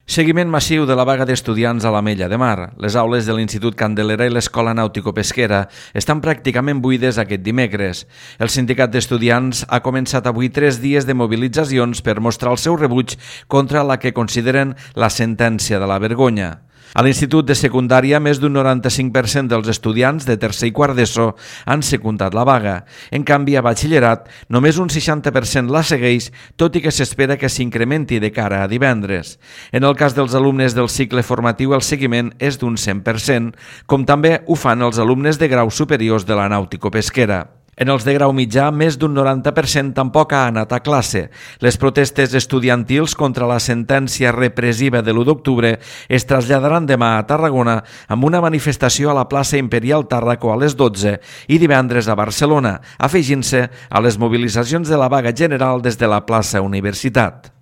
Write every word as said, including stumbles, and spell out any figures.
Seguiment massiu de la vaga d'estudiants a l'Ametlla de Mar. Les aules de l'Institut Candelera i l'Escola Nàutico-Pesquera estan pràcticament buides aquest dimecres. El sindicat d'estudiants ha començat avui tres dies de mobilitzacions per mostrar el seu rebuig contra la que consideren la sentència de la vergonya. A l'Institut de Secundària, més d'un noranta-cinc per cent dels estudiants de tercer i quart d'ESO han secundat la vaga. En canvi, a batxillerat, només un seixanta per cent la segueix, tot i que s'espera que s'incrementi de cara a divendres. En el cas dels alumnes del cicle formatiu, el seguiment és d'un cent per cent, com també ho fan els alumnes de graus superiors de la nàutico-pesquera. En els de grau mitjà, més d'un noranta per cent tampoc ha anat a classe. Les protestes estudiantils contra la sentència repressiva de l'u d'octubre es traslladaran demà a Tarragona amb una manifestació a la plaça Imperial Tàrraco a les dotze i divendres a Barcelona, afegint-se a les mobilitzacions de la vaga general des de la plaça Universitat.